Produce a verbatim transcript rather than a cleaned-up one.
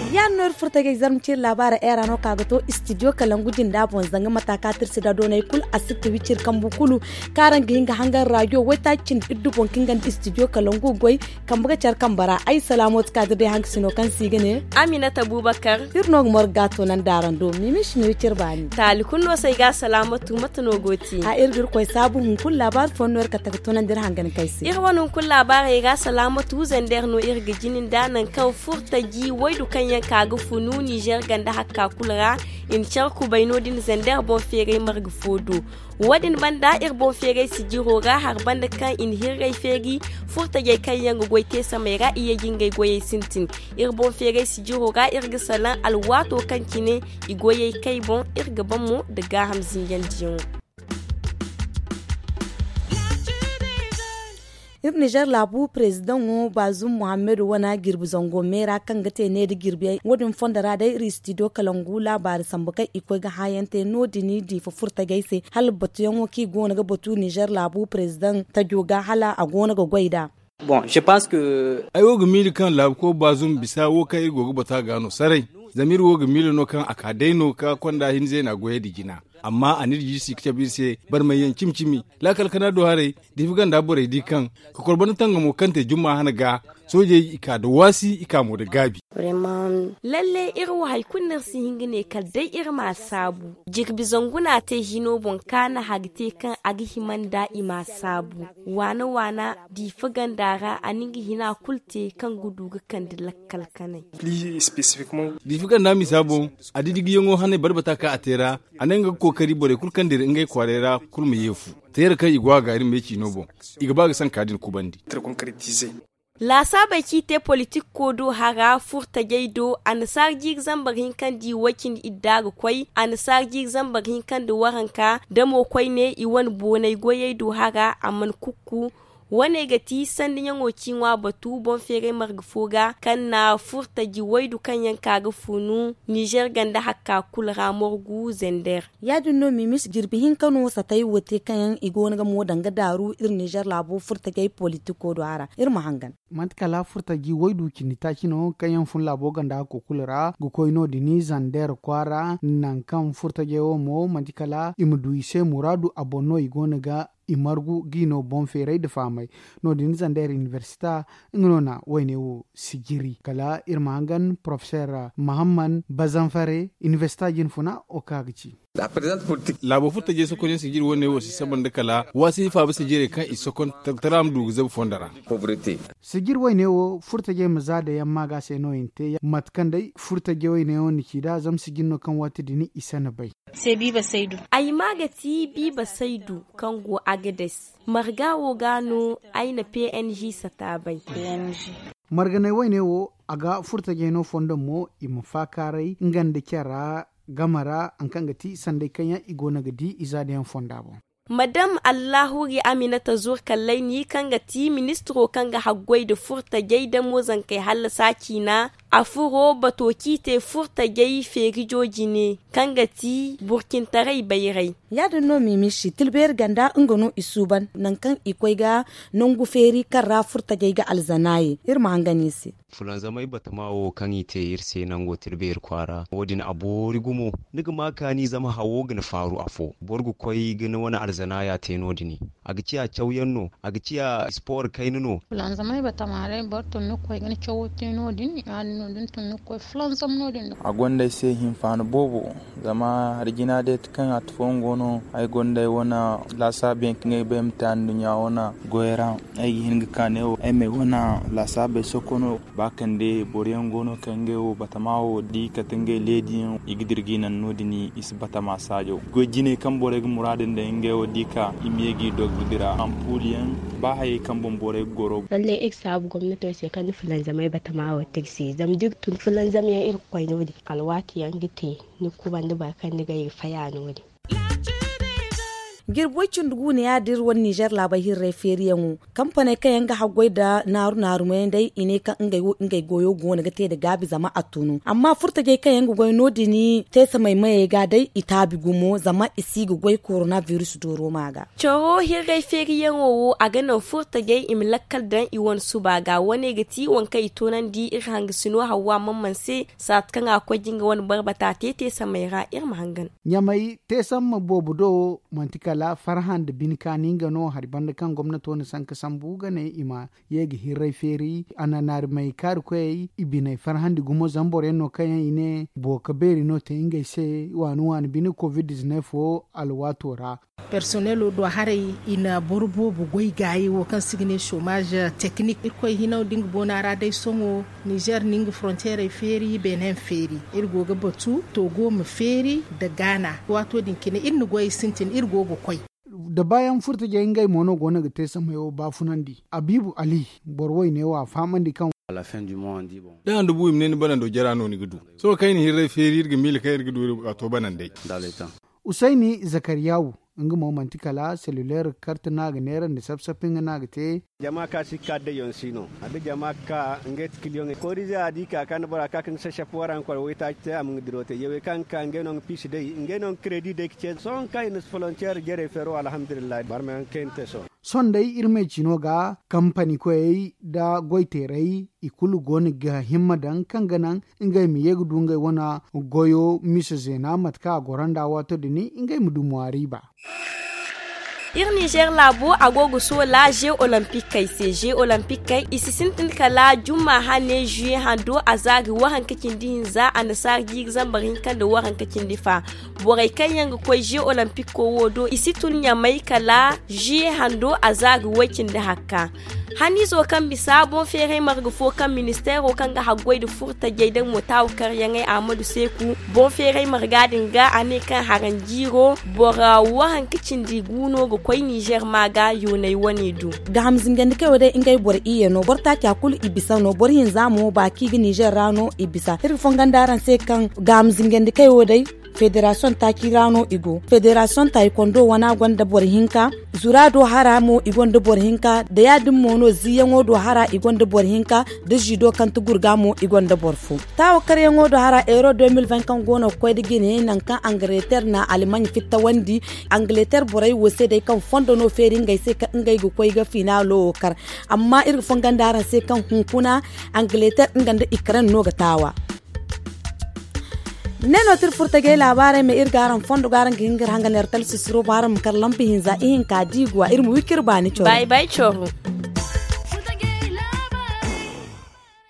Yaadin no iri furtajey zarma ciri laabaara era no ka ga to istidiyo kalangu jinda boŋ zanga mata ka tirsi da doonay kulu a sitta wiciri kambu kulu kaŋ araŋ ga hin ga hangan raajo waytaaci cindi iddu boŋ kaŋ ga nda istidiyo kalangu goy. Kambe ga care kambe ra ay salaamo ti ka dira day hankasino kaŋ se i ga ne. Aminata bubakar. Iri no ga morga ga toonandi araŋ do miimi si no iri cire baani. Taali kulu no se ay ga salaamatu mate no go ti a iri ga iri koy saabu hunkuna laabaari fooyaŋ no iri kate ga toonandi iri hangan kay se. Iri wane hunkuna laabaarey ra salaamatu zander no iri ga jini nda nangu kaŋ furtaji waydu kaŋ yaŋ ka ga funu nizer ganda hakka kulu ra. I na care kubay no- din zander boŋ feeray marga fo do. Wo- din banda iri boŋ feeray sijiro ra hari banda kaŋ i na hirray feeri furtajey kaŋ yaŋ ga goy te samey ra i ye ga ngey goyey sintin. Iri boŋ feeray sijiro ra iri ga salaŋ alwaato kaŋ cine i goyey kay boŋ iri ga ban mo nda gaaham zinjandiyaŋo. Iri nizer laabu parezidaŋo baazum muhammadu wane jirbi zango meera kaŋ ga te ne nda jirbi yaŋ wo- din fondo ra day iri istidiyo kalangu laabaari sambu kaŋ i koy ga hã yaŋ te no- din diifa furtajey se hala batuyaŋo kaŋ i go no ga batu nizer laabu parezidaŋ tajo ga hala a go no ga goy nd'a. Ay wo ga miila kaŋ laabuko baazum bisa wo kaŋ iri go ga batu a ga no saray. Zama iri wo ga miila no kaŋ a ka day no ka konda hinza i na a goyey nda jina. Amma a n'iri jiisi ga cabe iri se barmay yaŋ cimi cimi laakal kana do haray. Diifa ganda borey di kaŋ ka kor banda tangamo kaŋ te jumma hana ga soojey i ka nda waasi i ka mo nda gaabi. Lalle iri wo hari kulu no iri si hin ga ne kala day iri ma a saabu. Jirbi zangu no a te hino boŋ kaana hari te kaŋ a ga hima nda i ma a saabu. Waana waana diifa ganda ra a na nga hina kulu te kaŋ ga du ga kande lakkal kanay. Diifa ganda misa boŋ a di digiyaŋo hanay barbata kaŋ a te ra. A ne nga ga kookari borey kulu kaŋ dira ngey kwaaray ra kulu ma yeefu. Teera kaŋ i go a ga iri me ciino boŋ i ga ba ga sanka din kubandi. Laasaabey kaŋ i te politikko do hara furtajey do annasaara jiiri zambar hinka nda i way cindi idda ga koy annasaara jiiri zambar hinka nda waranka da mo koyne i wane boonay goyey do hara a mana kukku. Wane ga ti sandiyaŋo ci ŋwa batu boŋ feeray marga fo ga kaŋ na furtaji waydu kaŋ yaŋ ka ga funu nizer ganda hakka kulu ra morgu zender. Ya- din no mimis jirbi hinka no satay wo te kaŋ yaŋ i go no ga mo danga daaru iri nizer laabo furtajey politiko do a ra. Iri ma hangan. Manti kala furtaji waydu cindi taaci no kaŋ yaŋ fun laabo ganda hakko kulu ra ga koy no- din zandeer kwaara nangu kaŋ furtajey wo mo manti kala i ma du i se muraadu a boŋ no i go no ga i margu ga i no boŋ feeray nda fahamay. No- din zandeer inibersita nga no na wayne wo sijiri kala iri ma hangan porofeseer mahamman bazanfare inibersita jinfuna wo kaŋ a ga ci. Laabo furtajey sokonyaŋ sijiri wane wo si saba nda kala waasi faaba sijirey kaŋ i sokon tartara ma du ga zabu fondo ra. Sijiri wayne wo furtajey ma za da yamma ga se no i na te mate kaŋ day furtajey wayne wo na ci nd'a zama sijiri no kaŋ waati din i sana bay. Ay ma ga ti biiba saydu kaŋ go agades marga wo ga no ay na png sata bay. Marganay wayne wo a ga furtajey no fondo mo i ma faakaaray nga nda care ra game ra hari kaŋ ga ti sanday kaŋ yaŋ i go no ga di i za da yaŋ fonda boŋ. Madam allahuri aminata zurkallay ni kaŋ ga ti ministiro kaŋ ga haggoy nda furtajey da moozankey hallasa ciina a furo bato kaŋ i te furtajey feerijo jine kaŋ ga ti burcintaray bayray. Ya- din no miimishi tilbeeri ganda nga no i suuban nangu kaŋ i koy ga nangu feeri kaŋ ra furtajey ga alzana ye iri ma hangan i se. Fulanzamey batama wo kaŋ i te iri se nango tilbeeri kwaara wo- din a boori gumo. Ni ga ma kaani zama hawo ga ni faaru afo boro ga koy ga ni wane alzanaaya te no- din. A ga ciya cawyaŋ no a ga ciya sport kayna no. Fulanzamey batama day boro tun ni ga koy ga ni cawo te no- din ya- din no da ni tun ni ga koy fulanzam no- din. A gonda ay se hinfaani boobo. Zama hari jina day ti kaŋ a ti fooyaŋ go no ay gonda ay wane laasaabu yaŋ kaŋ ay bay ma te anduɲɲa wane goyey ra. Ay ga hin ga ka ne wo ay ma ay wane laasaabey soko no. Ba kande boro yaŋ go no kaŋ ngey wo batama wo di kate ngey leediyaŋ i ga dira ga i naŋ no- din i si batama saajo goy jinay kaŋ borey ga muraadu nda ngey wo di ka i ma ye ga i dogbu dira ampuuliyaŋ. Ba hayey kaŋ boŋ borey ga goro. Lallay iri ga saabu gomnato se kaŋ na fulanzamey batama wo tirsi zama da iri tun fulanzamyaŋ iri ga koy no- din alwaati yaŋ ga te ni ga kubandi boro kaŋ ni ga ay ga faya no- din. Jirbi way cindi gu ne ya- din iri wane nizer laabey hirrey feeriyaŋo, kampaney kaŋ yaŋ ga haggoy nda naaru naaru meeyaŋ day i ne kaŋ ngey goyo go no ga te nda gaabi zama a tunu. Amma furtajey kaŋ yaŋ ga goy no- din teesamey mayey ga day i taabi gumo zama i si ga goy korona biris dooro ma ga. Coro hirrey feeriyaŋo wo a ga naŋ furtajey i ma lakkal daŋ i wane suba ga wane ga ti waŋ kaŋ i toonandi iri hangasino hawwa mamman se, saati kaŋ a ga koy ga nga wane barbata te teesamey ra iri ma hangan. Ɲamay teesamma boobo do manti kala farhã nda bine kaani nga no hari banda kaŋ gomnato na sanka sambu ga ne i ma ye ga hirray feeri a na naari may kaari koyey i biney farhandi gumo zama boro yaŋ no kaŋ yaŋ i ne boro ka beeri no te ngey se waani waani bine covid dizineef wo alwaato ra. Personnelo do haray i na boro boobo goy gaayi wo kaŋ se i ga ne chomage technique irkoy hinaw da nga boona ra day sohõ nizer na nga fronteerey feeri benin feeri iri go ga batu togo ma feeri nda gaana waato din cine iri na goyey sintin iri go ga koy. Da baayaŋ furtajey ngey mo no go no ga te samey wo baafunandi abiibu ali boro woyne wo a fahamandi kaŋ. Da handu bu i ma ne ni banando jara no ni ga du. Sohõ kaŋ i na hirray feeri iri ga miila kaŋ iri ga du iri ga to banandey. Usayni zakariyawu nga mo manti kala selluler karte no a ga neera nda sap sap nga no a ga te. Jama ka si ka dayyaŋ si no a ga jama ka ngey ti kiliyoŋey korize a di ka ka nda bora ka ka nga sap sap waraŋ koro waytaaci te a ma nga diro te yawey kaŋ ga ka ngey no nga piisi day ngey no nga kredi day ga ce sohõ kaŋ i na si folonteer jerey feero alhamdulillahi barmayaŋ kayna te sohõ. Sohõ day iri ma ay ci no ga kampani koyey nda goyteerey i kulu go no ga himma daŋ kaŋ ga naŋ ngey ma ye ga du ngey wane goyo misa zeena mate kaŋ a goro nda waato din ngey ma du ŋwaari ba. Iri nizer laabo a go ga soola ze olompikkey se ze olompikkey i si sintin kala jumma hane zuye hando a za ga waranka cindi hinza annasaara jiiri zambar hinka nda waranka cindi fa. Borey kaŋ yaŋ ga koy ze olompiko wo do i si tun ɲamay kala zuye hando a za ga way cindi hakka. Haniizo kaŋ bisa boŋ feeray marga fo kaŋ ministeero kaŋ ga haggoy nda furtajey nda mo taawakaryaŋey ahmadu seeku boŋ feeray marga din ga a ne kaŋ haranjiiro boro waranka cindi gu no ga koy nizer ma ga yoonay wane du. Gaaham zingandikey wo day ngey boro iyye no boro taaca kulu i bisa no boro hinza mo baaki ga nizer ra no i bisa iri ga fongondi araŋ se kaŋ gaaham zingandikey wo day federasiyoŋ taaci ra no i go federasiyoŋ taaci kondo wana gonda boro hinka zura do hara mo i gonda boro hinka da ya- din mo no ziiyaŋo do hara i gonda boro hinka da ziido kaŋ ti gurga mo i gonda boro fo. Taawakaryaŋo do hara euro deux mille vingt kaŋ go no ga koy nda jine nangu kaŋ angaliter na almaɲ fittawandi angaliter borey wo se day kaŋ fondo no feeri ngey se kaŋ ngey ga koy ga finaalo wo kar. Amma iri ga fongondi araŋ se kaŋ hunkuna angaliter nga nda ikren no ga taawa. Ne no ti iri furtajey laabaarey ma iri ga araŋ fondo ga araŋ ga hin ga iri hangan iri talsisiro ba araŋ ma kar lampa hinza ihinka diiguwa iri ma wi ka iri baani coro.